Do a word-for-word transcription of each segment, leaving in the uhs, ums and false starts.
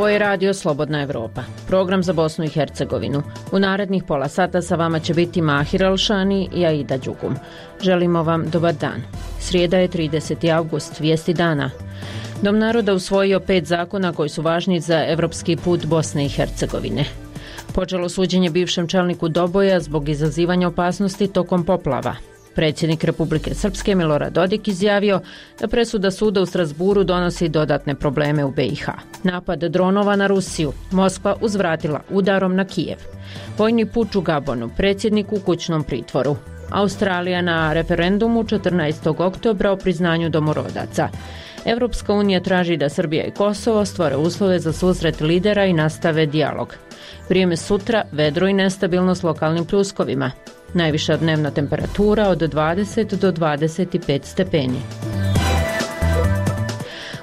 Ovo je radio Slobodna Evropa, program za Bosnu i Hercegovinu. U narednih pola sata sa vama će biti Mahir Alšani i Aida Đugum. Želimo vam dobar dan. Srijeda je trideseti avgust, vijesti dana. Dom naroda usvojio pet zakona koji su važni za evropski put Bosne i Hercegovine. Počelo suđenje bivšem čelniku Doboja zbog izazivanja opasnosti tokom poplava. Predsjednik Republike Srpske Milorad Dodik izjavio da presuda suda u Strasburu donosi dodatne probleme u B i H. Napad dronova na Rusiju. Moskva uzvratila udarom na Kijev. Vojni puč u Gabonu. Predsjednik u kućnom pritvoru. Australija na referendumu četrnaestog oktobra o priznanju domorodaca. Evropska unija traži da Srbija i Kosovo stvore uslove za susret lidera i nastave dijalog. Vrijeme sutra vedro i nestabilno s lokalnim pljuskovima. Najviša dnevna temperatura od dvadeset do dvadeset pet stepeni.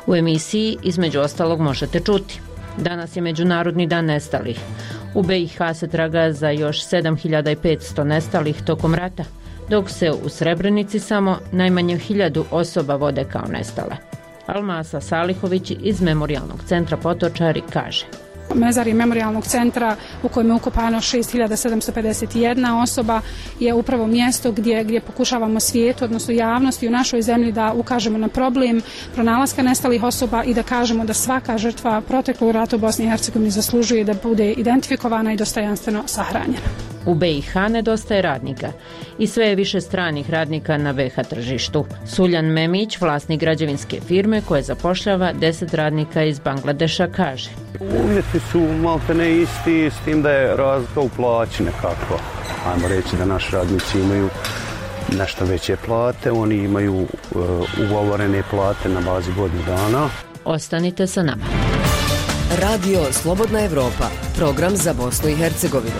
U emisiji između ostalog možete čuti. Danas je Međunarodni dan nestalih. U B i H se traga za još sedam hiljada petsto nestalih tokom rata, dok se u Srebrenici samo najmanje hiljadu osoba vode kao nestale. Almasa Salihović iz Memorijalnog centra Potočari kaže: Mezarij Memorijalnog centra u kojem je ukopano šest hiljada sedamsto pedeset jedna osoba je upravo mjesto gdje, gdje pokušavamo svijetu, odnosno javnosti u našoj zemlji da ukažemo na problem pronalaska nestalih osoba i da kažemo da svaka žrtva proteklog rata u Bosni i Hercegovini zaslužuje da bude identifikovana i dostojanstveno sahranjena. U B i H nedostaje radnika i sve je više stranih radnika na B i H tržištu. Suljan Memić, vlasnik građevinske firme koja zapošljava deset radnika iz Bangladeša, kaže: Uvjeti su maltene isti, s tim da je razlika u plaći nekako. Ajmo reći da naši radnici imaju nešto veće plate, oni imaju uh, ugovorene plate na bazi godinu dana. Ostanite sa nama. Radio Slobodna Evropa, program za Bosnu i Hercegovinu.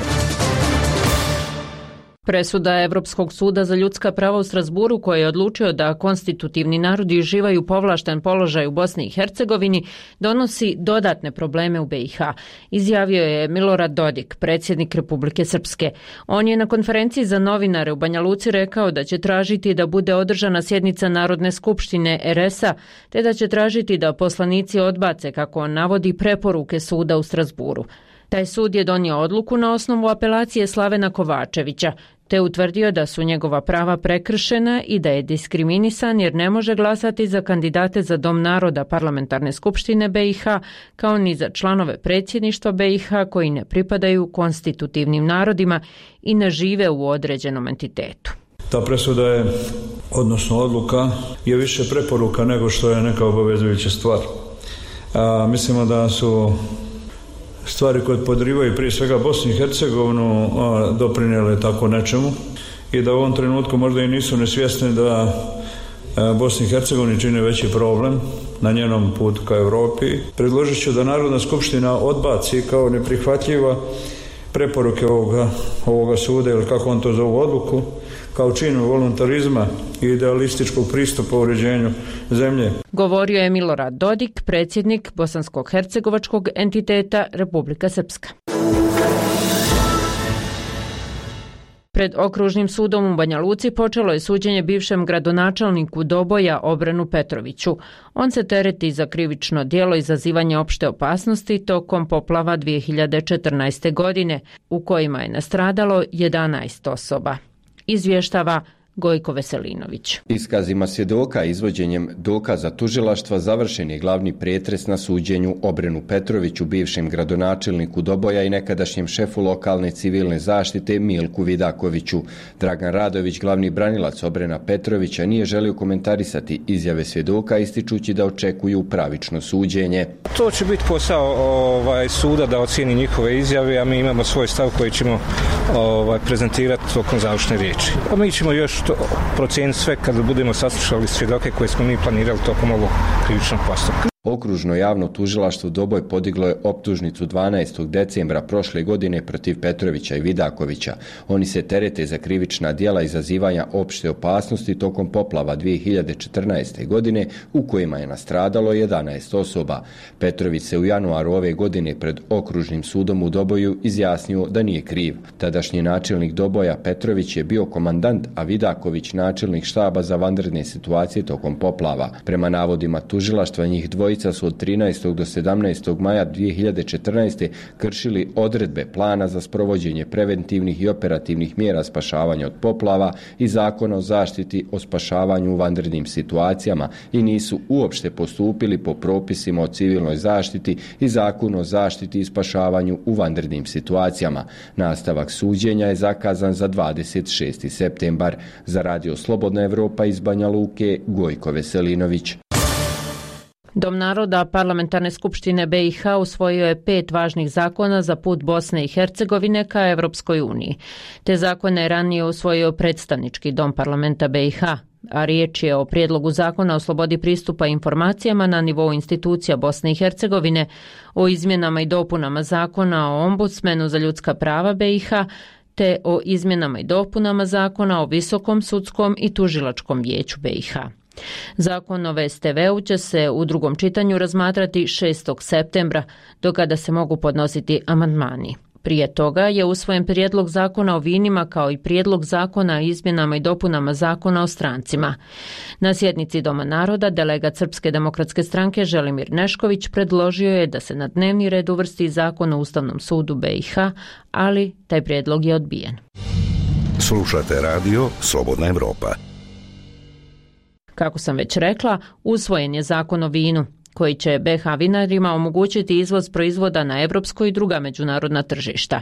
Presuda Evropskog suda za ljudska prava u Strasburu, koji je odlučio da konstitutivni narodi uživaju povlašten položaj u Bosni i Hercegovini, donosi dodatne probleme u B i H, izjavio je Milorad Dodik, predsjednik Republike Srpske. On je na konferenciji za novinare u Banja Luci rekao da će tražiti da bude održana sjednica Narodne skupštine R S A, te da će tražiti da poslanici odbace, kako on navodi, preporuke suda u Strasburu. Taj sud je donio odluku na osnovu apelacije Slavena Kovačevića, te utvrdio da su njegova prava prekršena i da je diskriminisan jer ne može glasati za kandidate za Dom naroda Parlamentarne skupštine B i H, kao ni za članove predsjedništva B i H koji ne pripadaju konstitutivnim narodima i ne žive u određenom entitetu. Ta presuda je, odnosno odluka, je više preporuka nego što je neka obavezujuća stvar. A, mislimo da su stvari koje podrivaju prije svega Bosnu i Hercegovinu doprinijele tako nečemu i da u ovom trenutku možda i nisu nesvjesni da Bosni i Hercegovini čini veći problem na njenom putu ka Europi. Predložit ću da Narodna skupština odbaci kao neprihvatljiva preporuke ovoga, ovoga suda, ili kako on to zovu, odluku, kao činu voluntarizma i idealističkog pristupa u uređenju zemlje. Govorio je Milorad Dodik, predsjednik bosansko-hercegovačkog entiteta Republika Srpska. Pred Okružnim sudom u Banja Luci počelo je suđenje bivšem gradonačelniku Doboja Obrenu Petroviću. On se tereti za krivično djelo izazivanja opšte opasnosti tokom poplava dvije hiljade četrnaeste. godine, u kojima je nastradalo jedanaest osoba. Izvještava Gojko Veselinović. Iskazima svjedoka i izvođenjem dokaza tužilaštva završen je glavni pretres na suđenju Obrenu Petroviću, bivšem gradonačelniku Doboja i nekadašnjem šefu lokalne civilne zaštite Milku Vidakoviću. Dragan Radović, glavni branilac Obrena Petrovića, nije želio komentarisati izjave svjedoka, ističući da očekuju pravično suđenje. To će biti posao ovaj, suda da ocijeni njihove izjave, a mi imamo svoj stav koji ćemo ovaj, prezentirati tokom završne riječi. A mi ćemo još to procijeniti sve kada budemo saslušali svjedoke koje smo mi planirali tokom ovog krivičnog postupka. Okružno javno tužilaštvo Doboj podiglo je optužnicu dvanaestog decembra prošle godine protiv Petrovića i Vidakovića. Oni se terete za krivična djela izazivanja opšte opasnosti tokom poplava dvije hiljade četrnaeste. godine u kojima je nastradalo jedanaest osoba. Petrović se u januaru ove godine pred Okružnim sudom u Doboju izjasnio da nije kriv. Tadašnji načelnik Doboja Petrović je bio komandant, a Vidaković načelnik štaba za vanredne situacije tokom poplava. Prema navodima tužilaštva, njih dvoje dvojica su od trinaestog do sedamnaestog maja dvije hiljade četrnaeste. kršili odredbe plana za sprovođenje preventivnih i operativnih mjera spašavanja od poplava i Zakona o zaštiti o spašavanju u vanrednim situacijama i nisu uopšte postupili po propisima o civilnoj zaštiti i Zakonu o zaštiti i spašavanju u vanrednim situacijama. Nastavak suđenja je zakazan za dvadeset šesti septembar. Za Radio Slobodna Evropa iz Banja Luke, Gojko Veselinović. Dom naroda Parlamentarne skupštine B i H usvojio je pet važnih zakona za put Bosne i Hercegovine ka Evropskoj uniji. Te zakone je ranije usvojio predstavnički dom parlamenta B i H, a riječ je o prijedlogu zakona o slobodi pristupa informacijama na nivou institucija Bosne i Hercegovine, o izmjenama i dopunama zakona o ombudsmenu za ljudska prava B i H, te o izmjenama i dopunama zakona o Visokom sudskom i tužilačkom vijeću B i H. Zakon o V S T V-u će se u drugom čitanju razmatrati šestog septembra, do kada se mogu podnositi amandmani. Prije toga je usvojen prijedlog zakona o vinima kao i prijedlog zakona o izmjenama i dopunama zakona o strancima. Na sjednici Doma naroda delegat Srpske demokratske stranke Želimir Nešković predložio je da se na dnevni red uvrsti zakon o Ustavnom sudu B i H, ali taj prijedlog je odbijen. Slušate radio Slobodna Evropa. Kako sam već rekla, usvojen je zakon o vinu, koji će B iH vinarima omogućiti izvoz proizvoda na evropsko i druga međunarodna tržišta.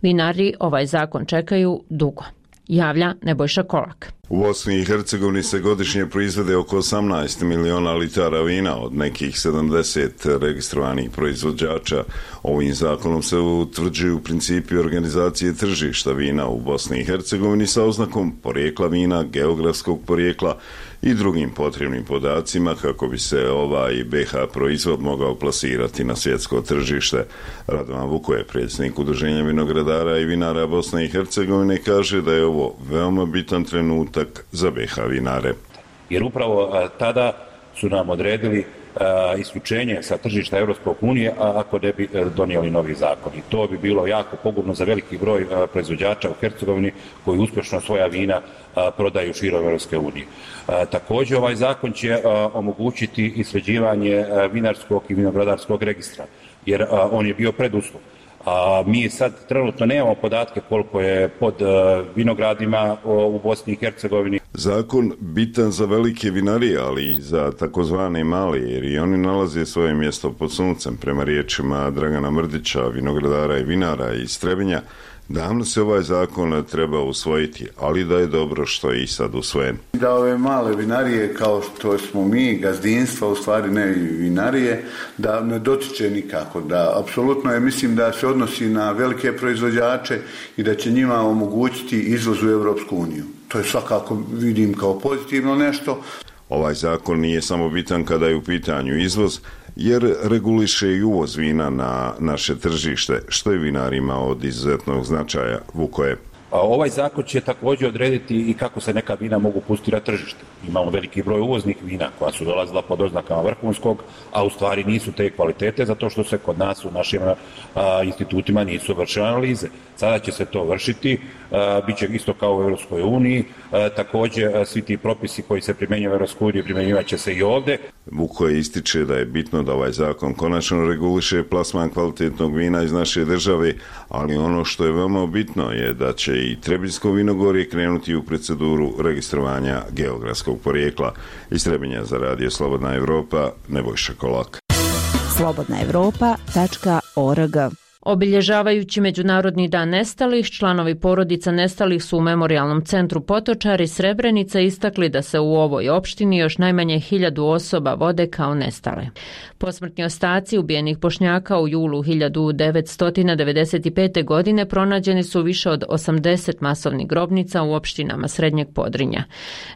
Vinari ovaj zakon čekaju dugo. Javlja Nebojša Kolak. U Bosni i Hercegovini se godišnje proizvede oko osamnaest miliona litara vina od nekih sedamdeset registrovanih proizvođača. Ovim zakonom se utvrđuju principi organizacije tržišta vina u Bosni i Hercegovini sa oznakom porijekla vina, geografskog porijekla i drugim potrebnim podacima kako bi se ovaj B iH proizvod mogao plasirati na svjetsko tržište. Radovan Vukoje, predsjednik Udruženja vinogradara i vinara Bosne i Hercegovine, kaže da je ovo veoma bitan trenutak za B iH vinare. Jer upravo a, tada su nam odredili a, isključenje sa tržišta Evropske unije, a ako ne bi a, donijeli novi zakon. I to bi bilo jako pogubno za veliki broj a, proizvođača u Hercegovini koji uspješno svoja vina a, prodaju širom Evropske unije. Također ovaj zakon će a, omogućiti i sređivanje a, vinarskog i vinogradarskog registra, jer a, on je bio preduslov. A mi sad trenutno nemamo podatke koliko je pod vinogradima u Bosni i Hercegovini. Zakon bitan za velike vinarije, ali i za takozvane male, jer i oni nalaze svoje mjesto pod suncem. Prema riječima Dragana Mrdića, vinogradara i vinara iz Trebinja, davno se ovaj zakon treba usvojiti, ali da je dobro što je i sad usvojen. Da ove male vinarije, kao što smo mi, gazdinstva, u stvari ne vinarije, da ne dotiče nikako. Da, apsolutno je, mislim da se odnosi na velike proizvođače i da će njima omogućiti izvoz u Evropsku uniju. To je svakako, vidim, kao pozitivno nešto. Ovaj zakon nije samo bitan kada je u pitanju izvoz, jer reguliše i uvoz vina na naše tržište, što je vinarima od izuzetnog značaja. Vukoje. Ovaj zakon će također odrediti i kako se neka vina mogu pustiti na tržište. Imamo veliki broj uvoznih vina koja su dolazila pod oznakama vrhunskog, a u stvari nisu te kvalitete zato što se kod nas u našim a, institutima nisu vršile analize. Sada će se to vršiti, a, bit će isto kao u Evropskoj uniji, a, također a, svi ti propisi koji se primjenjuju u Evropskoj uniji primjenjivat će se i ovdje. Vukoje ističe da je bitno da ovaj zakon konačno reguliše plasman kvalitetnog vina iz naše države, ali ono što je veoma bitno je da će i Trebinjsko vinogorje krenuti u proceduru registrovanja geografskog porijekla. Iz Trebinja za Radio Slobodna Evropa, Nebojša Kolak. slobodna evropa tačka org. Obilježavajući Međunarodni dan nestalih, članovi porodica nestalih su u Memorijalnom centru Potočari Srebrenica istakli da se u ovoj opštini još najmanje hiljadu osoba vode kao nestale. Posmrtni ostaci ubijenih Bošnjaka u julu hiljadu devetsto devedeset pete. godine pronađeni su više od osamdeset masovnih grobnica u opštinama Srednjeg Podrinja.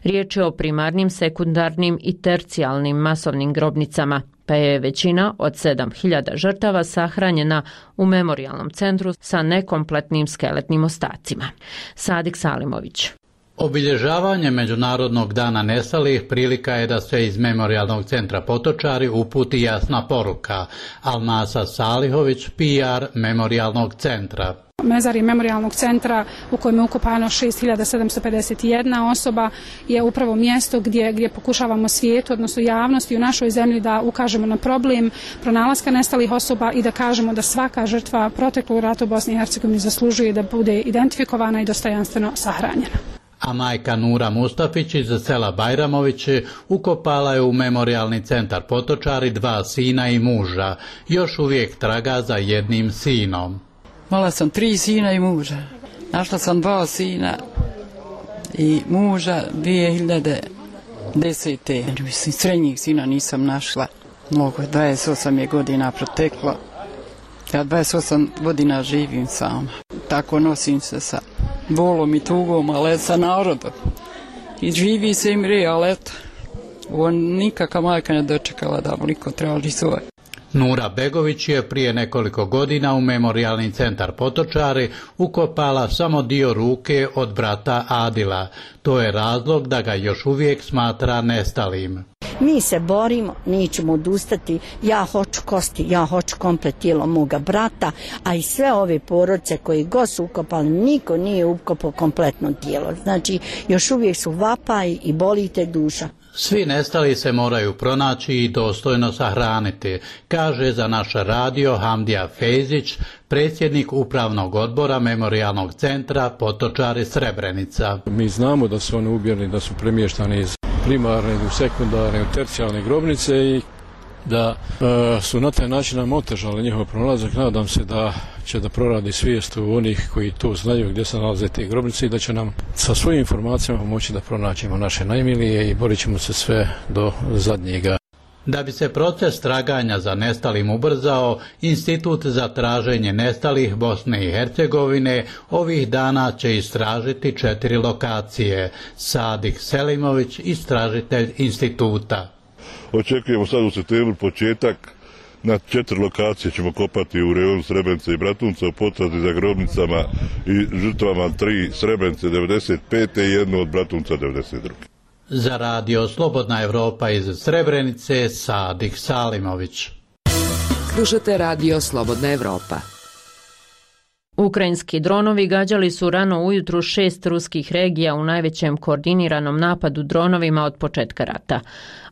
Riječ je o primarnim, sekundarnim i tercijalnim masovnim grobnicama, pa je većina od sedam hiljada žrtava sahranjena u Memorijalnom centru sa nekompletnim skeletnim ostacima. Sadik Salimović. Obilježavanje Međunarodnog dana nestalih prilika je da se iz Memorijalnog centra Potočari uputi jasna poruka. Almasa Salihović, P R Memorijalnog centra. Mezarje Memorijalnog centra u kojem je ukopano šest hiljada sedamsto pedeset jedna osoba je upravo mjesto gdje, gdje pokušavamo svijetu, odnosno javnosti u našoj zemlji da ukažemo na problem pronalaska nestalih osoba i da kažemo da svaka žrtva proteklog rata u Bosni i Hercegovini zaslužuje da bude identifikovana i dostojanstveno sahranjena. A majka Nura Mustafić iz sela Bajramović ukopala je u Memorijalni centar Potočari dva sina i muža. Još uvijek traga za jednim sinom. Imala sam tri sina i muža. Našla sam dva sina i muža dvije hiljade desete. Mislim, srednjih sina nisam našla. Mnogo, dvadeset osam je godina proteklo. Ja dvadeset osam godina živim sama. Tako nosim se sa bolom i tugom, ali sa narodom. I živi se i mre, ali eto, on nikakva majka ne dočekala da mu niko traži svoje. Nura Begović je prije nekoliko godina u Memorijalni centar Potočari ukopala samo dio ruke od brata Adila. To je razlog da ga još uvijek smatra nestalim. Mi se borimo, nećemo odustati, ja hoću kosti, ja hoću komplet tijelo moga brata, a i sve ove porodice koji god su ukopali, niko nije ukopao kompletno tijelo. Znači, još uvijek su vapaj i boli te duša. Svi nestali se moraju pronaći i dostojno sahraniti, kaže za naš radio Hamdija Fejzić, predsjednik upravnog odbora Memorijalnog centra Potočari Srebrenica. Mi znamo da su oni ubijeni, da su premještani iz primarne, u sekundarne, u tercijalne grobnice i da e, su na taj način nam otežali njihov pronalazak. Nadam se da će da proradi svijest u onih koji to znaju gdje se nalaze te grobnice i da će nam sa svojim informacijama moći da pronaćemo naše najmilije i borit ćemo se sve do zadnjega. Da bi se proces traganja za nestalim ubrzao, Institut za traženje nestalih Bosne i Hercegovine ovih dana će istražiti četiri lokacije. Sadik Selimović, istražitelj instituta. Očekujemo sad u septembru početak. Na četiri lokacije ćemo kopati u rejonu Srebrenice i Bratunca u potrazi za grobnicama i žrtvama tri Srebrenice devedeset pete i jednu od Bratunca devedeset druge. Za radio Slobodna Evropa iz Srebrenice, Sadik Salimović. Slušate radio Slobodna Evropa. Ukrajinski dronovi gađali su rano ujutru šest ruskih regija u najvećem koordiniranom napadu dronovima od početka rata.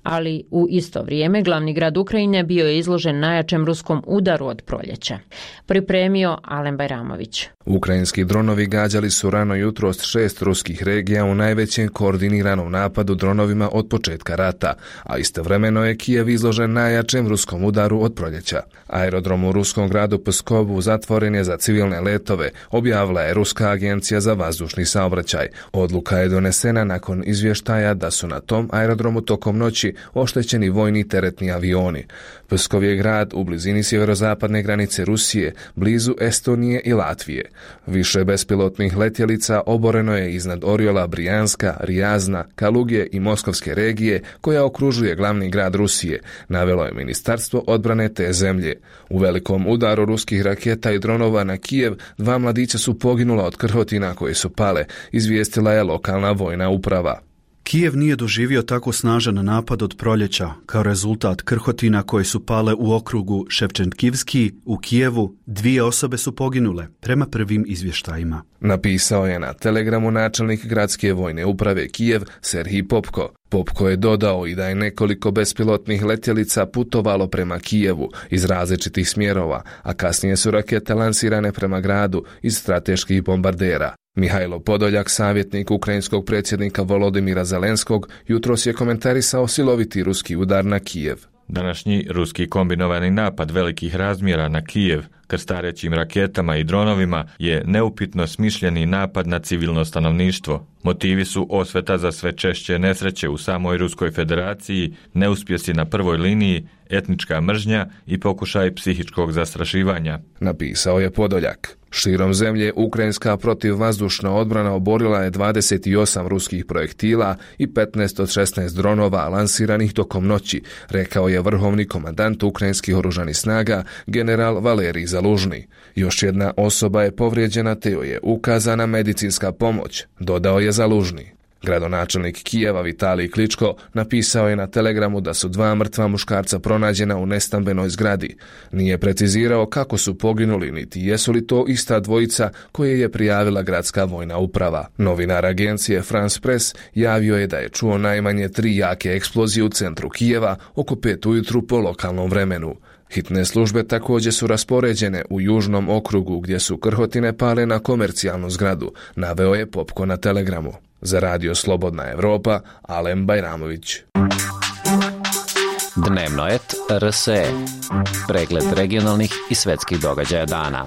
Ali u isto vrijeme glavni grad Ukrajine bio je izložen najjačem ruskom udaru od proljeća. Pripremio Alen Bajramović. Ukrajinski dronovi gađali su rano jutro s šest ruskih regija u najvećem koordiniranom napadu dronovima od početka rata, a istovremeno je Kijev izložen najjačem ruskom udaru od proljeća. Aerodrom u ruskom gradu Pskovu zatvoren je za civilne letove, objavila je Ruska agencija za vazdušni saobraćaj. Odluka je donesena nakon izvještaja da su na tom aerodromu tokom noći oštećeni vojni teretni avioni. Pskov je grad u blizini sjeverozapadne granice Rusije, blizu Estonije i Latvije. Više bespilotnih letjelica oboreno je iznad Oriola, Brijanska, Rijazna, Kalugije i Moskovske regije koja okružuje glavni grad Rusije, navelo je Ministarstvo odbrane te zemlje. U velikom udaru ruskih raketa i dronova na Kijev dva mladića su poginula od krhotina koje su pale, izvijestila je lokalna vojna uprava. Kijev nije doživio tako snažan napad od proljeća. Kao rezultat krhotina koje su pale u okrugu Ševčenkivski u Kijevu, dvije osobe su poginule, prema prvim izvještajima. Napisao je na Telegramu načelnik gradske vojne uprave Kijev Serhij Popko. Popko je dodao i da je nekoliko bespilotnih letjelica putovalo prema Kijevu iz različitih smjerova, a kasnije su rakete lansirane prema gradu iz strateških bombardera. Mihajlo Podoljak, savjetnik ukrajinskog predsjednika Volodimira Zelenskog, jutros je komentarisao siloviti ruski udar na Kijev. Današnji ruski kombinovani napad velikih razmjera na Kijev krstarećim raketama i dronovima je neupitno smišljeni napad na civilno stanovništvo. Motivi su osveta za sve češće nesreće u samoj Ruskoj federaciji, neuspjesi na prvoj liniji, etnička mržnja i pokušaj psihičkog zastrašivanja. Napisao je Podoljak. Širom zemlje ukrajinska protivvazdušna odbrana oborila je dvadeset osam ruskih projektila i petnaest od šesnaest dronova lansiranih tokom noći, rekao je vrhovni komandant ukrajinskih oružanih snaga general Valerij Zaluzhnij. Zalužni. Još jedna osoba je povrijeđena te joj je ukazana medicinska pomoć, dodao je Zalužni. Gradonačelnik Kijeva Vitalij Kličko napisao je na telegramu da su dva mrtva muškarca pronađena u nestambenoj zgradi. Nije precizirao kako su poginuli, niti jesu li to ista dvojica koje je prijavila gradska vojna uprava. Novinar agencije France Press javio je da je čuo najmanje tri jake eksplozije u centru Kijeva oko pet ujutru po lokalnom vremenu. Hitne službe također su raspoređene u južnom okrugu gdje su krhotine pale na komercijalnu zgradu, naveo je Popko na telegramu. Za radio Slobodna Evropa, Alem Bajramović. Dnevno et R S E. Pregled regionalnih i svetskih događaja dana.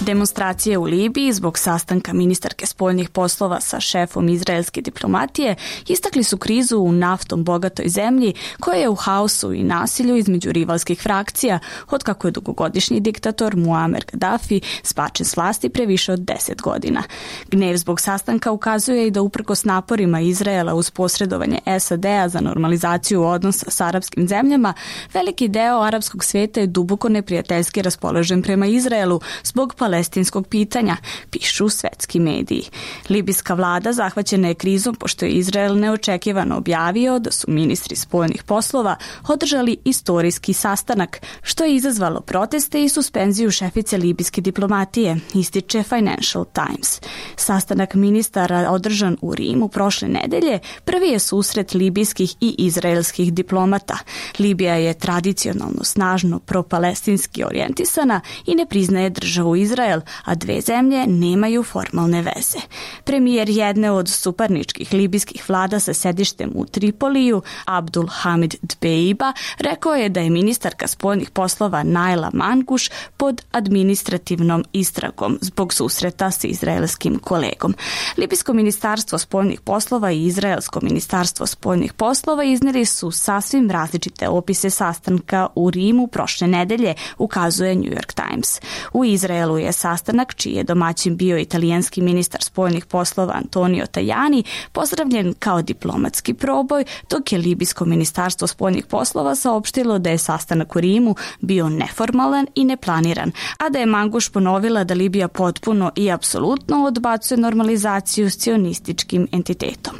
Demonstracije u Libiji zbog sastanka ministarke spoljnih poslova sa šefom izraelske diplomatije istakli su krizu u naftom bogatoj zemlji koja je u haosu i nasilju između rivalskih frakcija od kako je dugogodišnji diktator Muammar Gaddafi spačen s vlasti pre više od deset godina. Gnev zbog sastanka ukazuje i da uprkos naporima Izraela uz posredovanje S A D-a za normalizaciju odnosa s arapskim zemljama, veliki deo arapskog sveta je duboko neprijateljski raspoložen prema Izraelu zbog palestinskog pitanja, pišu svetski mediji. Libijska vlada zahvaćena je krizom pošto je Izrael neočekivano objavio da su ministri spoljnih poslova održali istorijski sastanak, što je izazvalo proteste i suspenziju šefice libijske diplomatije, ističe Financial Times. Sastanak ministara održan u Rimu prošle nedelje prvi je susret libijskih i izraelskih diplomata. Libija je tradicionalno snažno propalestinski orijentisana i ne priznaje državu Izrael, a dve zemlje nemaju formalne veze. Premijer jedne od suparničkih libijskih vlada sa sedištem u Tripoliju, Abdul Hamid Dbeiba, rekao je da je ministarka spoljnih poslova Naila Manguš pod administrativnom istragom zbog susreta s izraelskim kolegom. Libijsko ministarstvo spoljnih poslova i Izraelsko ministarstvo spoljnih poslova iznijeli su sasvim različite opise sastanka u Rimu prošle nedelje, ukazuje New York Times. U Izraelu je sastanak, čiji je domaćin bio italijanski ministar spoljnih poslova Antonio Tajani, pozdravljen kao diplomatski proboj, dok je libijsko ministarstvo spoljnih poslova saopštilo da je sastanak u Rimu bio neformalan i neplaniran, a da je Manguš ponovila da Libija potpuno i apsolutno odbacuje normalizaciju s cionističkim entitetom.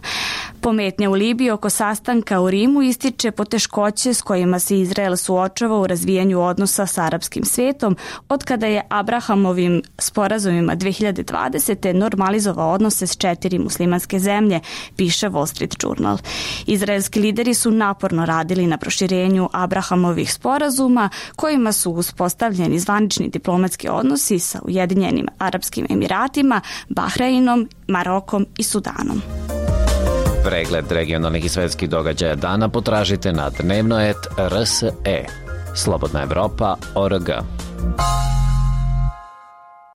Pometnja u Libiji oko sastanka u Rimu ističe poteškoće s kojima se Izrael suočava u razvijanju odnosa s arapskim svijetom od kada je Abrahamovim sporazumima dve hiljade dvadesete normalizovao odnose s četiri muslimanske zemlje, piše Wall Street Journal. Izraelski lideri su naporno radili na proširenju Abrahamovih sporazuma kojima su uspostavljeni zvanični diplomatski odnosi sa Ujedinjenim Arapskim Emiratima, Bahreinom, Marokom i Sudanom. Pregled regionalnih i svetskih događaja dana potražite na dnevno et R S E. Slobodna Evropa, O R G.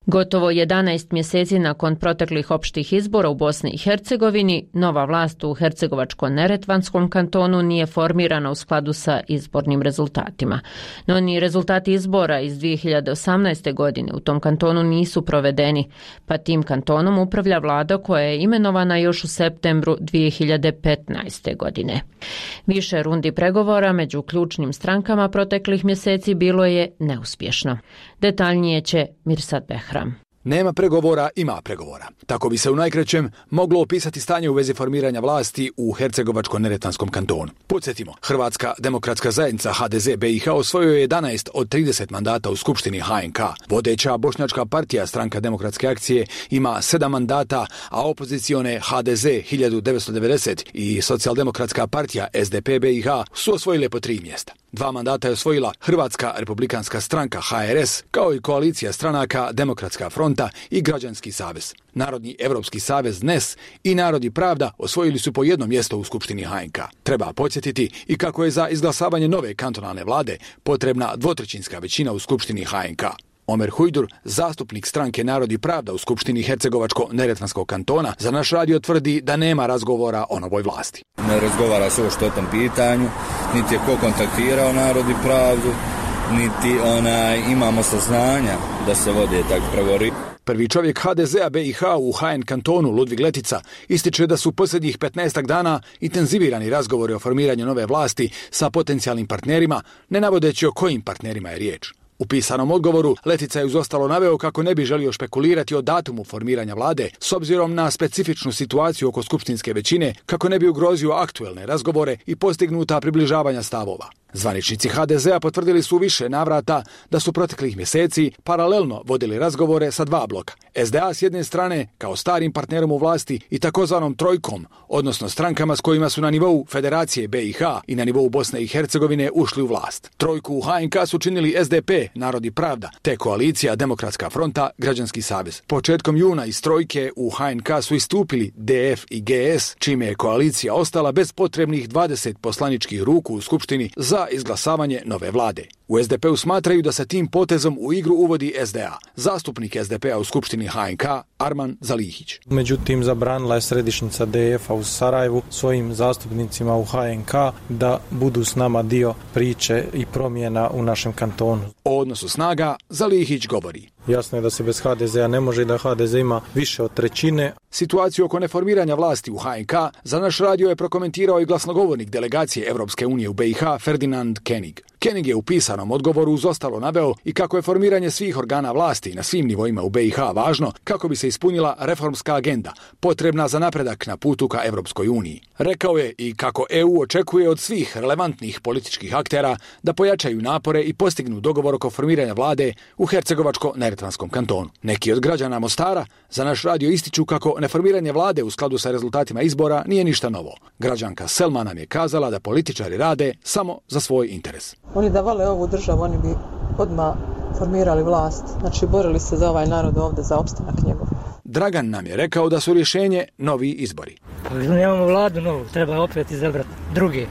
Gotovo jedanaest mjeseci nakon proteklih opštih izbora u Bosni i Hercegovini, nova vlast u Hercegovačko-Neretvanskom kantonu nije formirana u skladu sa izbornim rezultatima. No ni rezultati izbora iz dvije hiljade osamnaeste. godine u tom kantonu nisu provedeni, pa tim kantonom upravlja vlada koja je imenovana još u septembru dvije hiljade petnaeste. godine. Više rundi pregovora među ključnim strankama proteklih mjeseci bilo je neuspješno. Detaljnije će Mirsad Behram. Nema pregovora, ima pregovora. Tako bi se u najkraćem moglo opisati stanje u vezi formiranja vlasti u Hercegovačko-Neretvanskom kantonu. Podsjetimo, Hrvatska demokratska zajednica H D Z B i H osvojio je jedanaest od trideset mandata u Skupštini H N K. Vodeća bošnjačka partija Stranka demokratske akcije ima sedam mandata, a opozicione H D Z hiljadu devetsto devedeset i Socijaldemokratska partija S D P B i H su osvojile po tri mjesta. Dva mandata je osvojila Hrvatska republikanska stranka H R S, kao i koalicija stranaka Demokratska fronta i Građanski savez. Narodni evropski savez N E S i Narod i pravda osvojili su po jedno mjesto u Skupštini H N K. Treba podsjetiti i kako je za izglasavanje nove kantonalne vlade potrebna dvotrećinska većina u Skupštini H N K. Omer Hujdur, zastupnik stranke Narod i pravda u Skupštini Hercegovačko-Neretvanskog kantona, za naš radio tvrdi da nema razgovora o novoj vlasti. Ne razgovara se uopšte o tom pitanju, niti je ko kontaktirao Narod i pravdu, niti onaj, imamo saznanja da se vode tak pregovori. Prvi čovjek ha de zea be i ha u ha en kantonu, Ludvig Letica, ističe da su posljednjih petnaestak dana intenzivirani razgovori o formiranju nove vlasti sa potencijalnim partnerima, ne navodeći o kojim partnerima je riječ. U pisanom odgovoru Letica je uz ostalo naveo kako ne bi želio špekulirati o datumu formiranja vlade s obzirom na specifičnu situaciju oko skupštinske većine, kako ne bi ugrozio aktuelne razgovore i postignuta približavanja stavova. Zvaničnici ha de zea potvrdili su više navrata da su proteklih mjeseci paralelno vodili razgovore sa dva bloka. es de a s jedne strane kao starim partnerom u vlasti i takozvanom trojkom, odnosno strankama s kojima su na nivou Federacije be i ha i na nivou Bosne i Hercegovine ušli u vlast. Trojku u ha en ka su činili es de pe, Narod i pravda, te koalicija Demokratska fronta, Građanski savez. Početkom juna iz trojke u ha en ka su istupili de ef i ge es, čime je koalicija ostala bez potrebnih dvadeset poslaničkih ruku u Skupštini za izglasavanje nove vlade. U es de pe-u smatraju da se tim potezom u igru uvodi es de a. Zastupnik es de pe-a u Skupštini ha en ka, Arman Zalihić. Međutim, zabranila je središnjica de ef-a u Sarajevu svojim zastupnicima u ha en ka da budu s nama dio priče i promjena u našem kantonu. O odnosu snaga Zalihić govori. Jasno je da se bez ha de zea ne može i da ha de ze ima više od trećine. Situaciju oko neformiranja vlasti u ha en ka za naš radio je prokomentirao i glasnogovornik delegacije Evropske unije u be i ha Ferdinand Kenig. Kenig je u pisanom odgovoru uz ostalo naveo i kako je formiranje svih organa vlasti na svim nivoima u be i ha važno kako bi se ispunila reformska agenda potrebna za napredak na putu ka Evropskoj uniji. Rekao je i kako e u očekuje od svih relevantnih političkih aktera da pojačaju napore i postignu dogovor oko formiranja vlade u Hercegovačko-Neretvanskom kantonu. Neki od građana Mostara za naš radio ističu kako neformiranje vlade u skladu sa rezultatima izbora nije ništa novo. Građanka Selma nam je kazala da političari rade samo za svoj interes. Oni da vole ovu državu, oni bi odmah formirali vlast. Znači, borili se za ovaj narod ovdje, za opstanak njegov. Dragan nam je rekao da su rješenje novi izbori. Ali nemamo vladu novu, treba opet izabrati druge.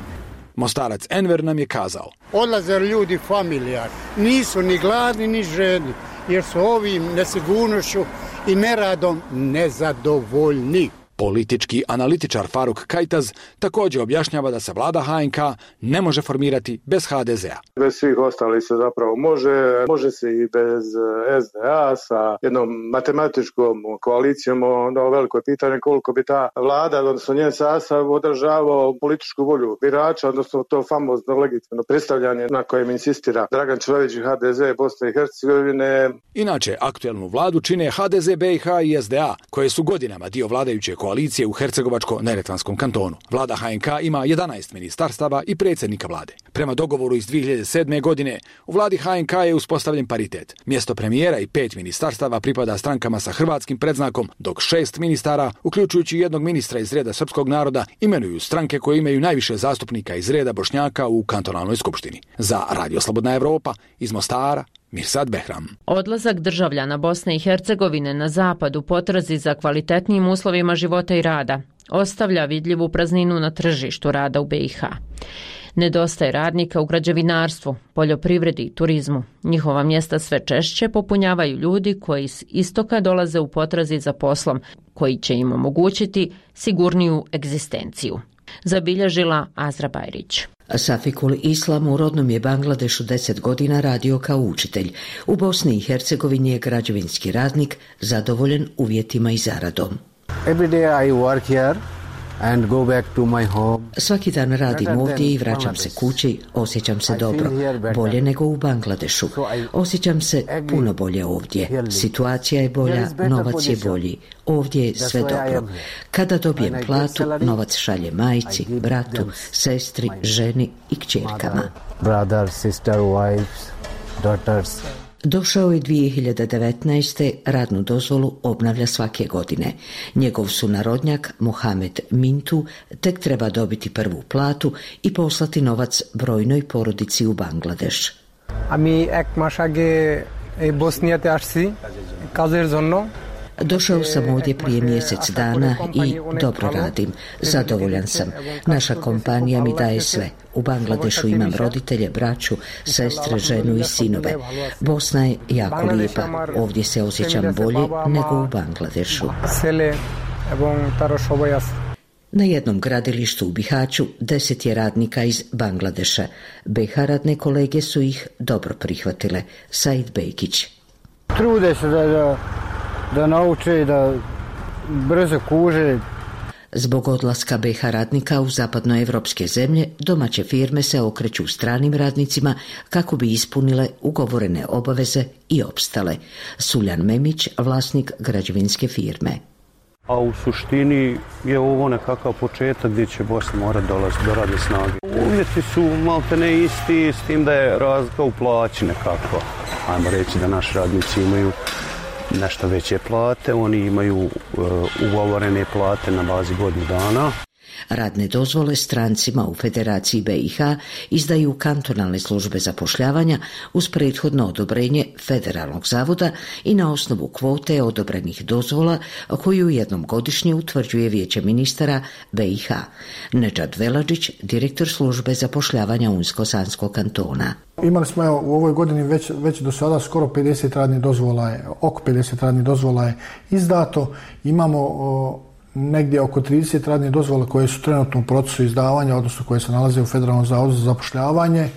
Mostarac Enver nam je kazao. Odlaze ljudi familijar, nisu ni gladni ni žedni, jer su ovim nesigurnošću i neradom nezadovoljni. Politički analitičar Faruk Kajtaz također objašnjava da se vlada ha en ka ne može formirati bez ha de zea. Bez svih ostalih se zapravo može, može se i bez es de a sa jednom matematičkom koalicijom. Ono veliko je pitanje koliko bi ta vlada, odnosno njen sastav održavao političku volju birača, odnosno to famozno legitimno predstavljanje na kojem insistira Dragan Čović i ha de ze Bosne i Hercegovine. Inače, aktuelnu vladu čine ha de ze be i ha i es de a, koje su godinama dio vladajuće koalicije u Hercegovačko-Neretvanskom kantonu. Vlada ha en ka ima jedanaest ministarstava i predsjednika vlade. Prema dogovoru iz dvije hiljade sedme. godine, u vladi ha en ka je uspostavljen paritet. Mjesto premijera i pet ministarstava pripada strankama sa hrvatskim predznakom, dok šest ministara, uključujući jednog ministra iz reda srpskog naroda, imenuju stranke koje imaju najviše zastupnika iz reda Bošnjaka u kantonalnoj skupštini. Za Radio Slobodna Evropa, iz Mostara, Mirsad Behram. Odlazak državljana Bosne i Hercegovine na zapad u potrazi za kvalitetnijim uslovima života i rada ostavlja vidljivu prazninu na tržištu rada u be i ha. Nedostaje radnika u građevinarstvu, poljoprivredi i turizmu. Njihova mjesta sve češće popunjavaju ljudi koji s istoka dolaze u potrazi za poslom koji će im omogućiti sigurniju egzistenciju. Zabilježila Azra Bajrić. Safikul Islam u rodnom je Bangladešu deset godina radio kao učitelj. U Bosni i Hercegovini je građevinski radnik, zadovoljen uvjetima i zaradom. Every day I work here and go back to my home. Svaki dan radim ovdje i vraćam se kući, osjećam se dobro, bolje nego u Bangladešu. Osjećam se puno bolje ovdje. Situacija je bolja, novac je bolji. Ovdje je sve dobro. Kada dobijem platu, novac šalje majci, bratu, sestri, ženi i kćerkama. Brother, sister, wives, daughters. Došao je dvije hiljade devetnaeste. radnu dozvolu obnavlja svake godine. Njegov sunarodnjak, Mohamed Mintu, tek treba dobiti prvu platu i poslati novac brojnoj porodici u Bangladeš. Ami ek mas age ei Bosnijate asci kazer jonno. Došao sam ovdje prije mjesec dana i dobro radim. Zadovoljan sam. Naša kompanija mi daje sve. U Bangladešu imam roditelje, braću, sestre, ženu i sinove. Bosna je jako lijepa. Ovdje se osjećam bolje nego u Bangladešu. Na jednom gradilištu u Bihaću deset je radnika iz Bangladeša. be ha radne kolege su ih dobro prihvatile. Said Bejkić. Trude se da da nauče da brzo kuže. Zbog odlaska be ha radnika u zapadnoevropske zemlje, domaće firme se okreću stranim radnicima kako bi ispunile ugovorene obaveze i opstale. Suljan Memić, vlasnik građevinske firme. A u suštini je ovo nekakav početak gdje će Bosna morati dolaziti do radne snage. Uvjeti su maltene isti, s tim da je razlika u plaći nekako. Ajmo reći da naši radnici imaju nešto veće plate, oni imaju uh, ugovorene plate na bazi godinu dana. Radne dozvole strancima u Federaciji be i ha izdaju kantonalne službe zapošljavanja uz prethodno odobrenje Federalnog zavoda i na osnovu kvote odobrenih dozvola koju jednom godišnje utvrđuje Vijeće ministara be i ha. Nedžad Veladžić, direktor službe zapošljavanja Unsko-Sanskog kantona. Imali smo evo, u ovoj godini već, već do sada skoro pedeset radnih dozvola, je, oko pedeset radnih dozvola je izdato. Imamo o, negdje oko trideset radnih dozvola koje su trenutno u procesu izdavanja, odnosno koje se nalaze u Federalnom zavodu za zapošljavanje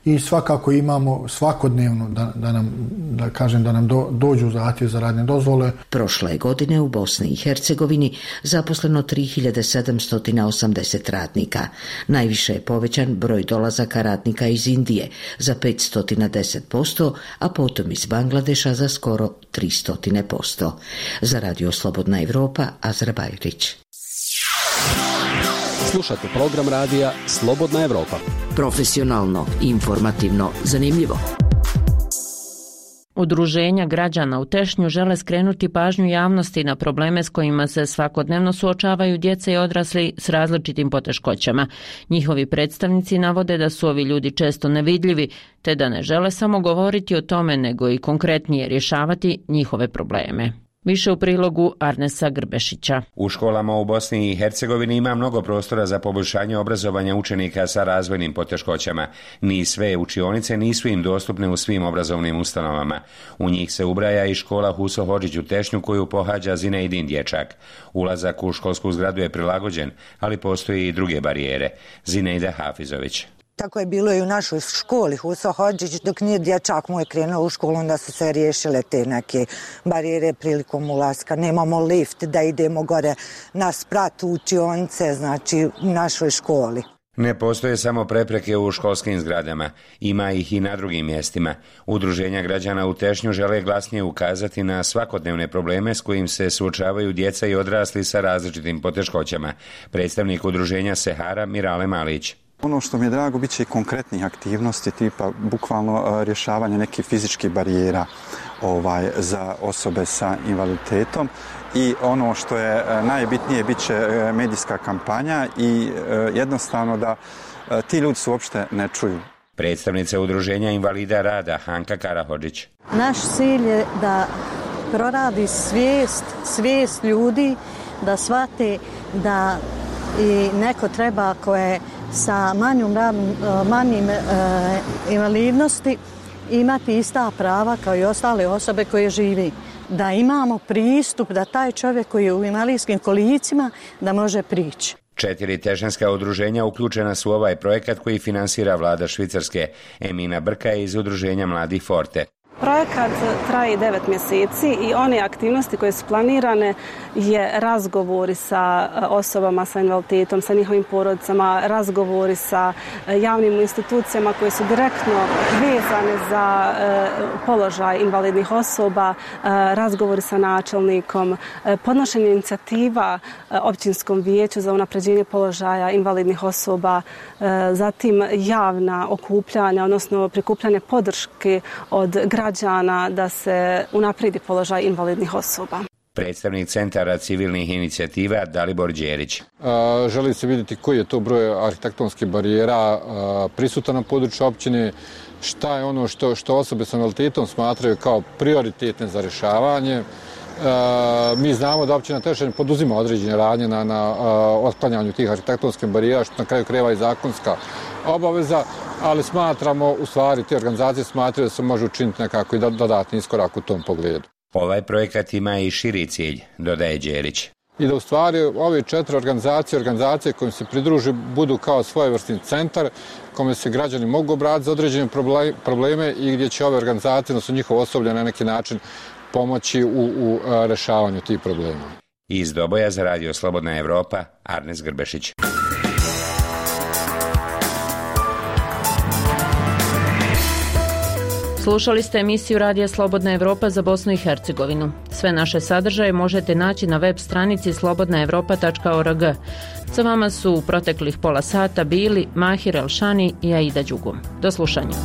i svakako imamo svakodnevno da, da nam, da kažem, da nam do, dođu zahtjev za radne dozvole. Prošle godine u Bosni i Hercegovini zaposleno tri hiljade sedamsto osamdeset radnika. Najviše je povećan broj dolazaka radnika iz Indije za petsto deset posto, a potom iz Bangladeša za skoro tristo posto. Za Radio Slobodna Evropa, Azra Bajrić. Slušate program radija Slobodna Evropa. Profesionalno, informativno, zanimljivo. Udruženja građana u Tešnju žele skrenuti pažnju javnosti na probleme s kojima se svakodnevno suočavaju djeca i odrasli s različitim poteškoćama. Njihovi predstavnici navode da su ovi ljudi često nevidljivi, te da ne žele samo govoriti o tome, nego i konkretnije rješavati njihove probleme. Više u prilogu Arnesa Grbešića. U školama u Bosni i Hercegovini ima mnogo prostora za poboljšanje obrazovanja učenika sa razvojnim poteškoćama. Ni sve učionice nisu im dostupne u svim obrazovnim ustanovama. U njih se ubraja i škola Huso Hodžić u Tešnju koju pohađa Zinejdin dječak. Ulazak u školsku zgradu je prilagođen, ali postoji i druge barijere. Zinejda Hafizović. Tako je bilo i u našoj školi Huso Hodžić, dok nije dječak moj krenuo u školu, onda su se riješile te neke barijere prilikom ulaska. Nemamo lift da idemo gore na sprat u učionice, znači u našoj školi. Ne postoje samo prepreke u školskim zgradama, ima ih i na drugim mjestima. Udruženja građana u Tešnju žele glasnije ukazati na svakodnevne probleme s kojim se suočavaju djeca i odrasli sa različitim poteškoćama. Predstavnik udruženja Sehara Mirale Malić. Ono što mi je drago, bit će i konkretnih aktivnosti, tipa bukvalno rješavanje nekih fizičkih barijera ovaj, za osobe sa invaliditetom. I ono što je najbitnije, bit će medijska kampanja i jednostavno da ti ljudi se uopšte ne čuju. Predstavnica udruženja invalida rada Hanka Karahodžić. Naš cilj je da proradi svijest, svijest ljudi, da shvate da i neko treba koje sa manjom, manjim e, invalidnosti imati ista prava kao i ostale osobe koje živi. Da imamo pristup da taj čovjek koji je u invalidskim kolicima da može prići. Četiri tešnjanska udruženja uključena su u ovaj projekat koji finansira vlada Švicarske. Emina Brka je iz udruženja Mladih Forte. Projekat traje devet mjeseci i one aktivnosti koje su planirane je razgovori sa osobama sa invaliditetom, sa njihovim porodicama, razgovori sa javnim institucijama koje su direktno vezane za položaj invalidnih osoba, razgovori sa načelnikom, podnošenje inicijativa općinskom vijeću za unapređenje položaja invalidnih osoba, zatim javna okupljanja, odnosno prikupljanje podrške od građana da se unaprijedi položaj invalidnih osoba. Predstavnik Centara civilnih inicijativa Dalibor Đerić. Želi se vidjeti koji je to broj arhitektonskih barijera prisutan na području općine, šta je ono što, što osobe sa invaliditetom smatraju kao prioritetne za rješavanje. Mi znamo da općina Tešnje poduzima određene radnje na, na otklanjanju tih arhitektonskih barijera, što na kraju krajeva i zakonska obaveza, ali smatramo, u stvari, te organizacije smatraju da se može učiniti nekako i dodatni iskorak u tom pogledu. Ovaj projekat ima i širi cilj, dodaje Đerić. I da u stvari ove četiri organizacije, organizacije kojim se pridruži, budu kao svojevrsni centar kome se građani mogu obratiti za određene probleme i gdje će ove organizacije, odnosno njihovo osoblje na neki način pomoći u, u rešavanju tih problema. Iz Doboja za Radio Slobodna Evropa, Arnes Grbešić. Slušali ste emisiju Radija Slobodna Evropa za Bosnu i Hercegovinu. Sve naše sadržaje možete naći na web stranici slobodna evropa tačka org. Sa vama su u proteklih pola sata bili Mahir Elšani i Aida Đugum. Do slušanja.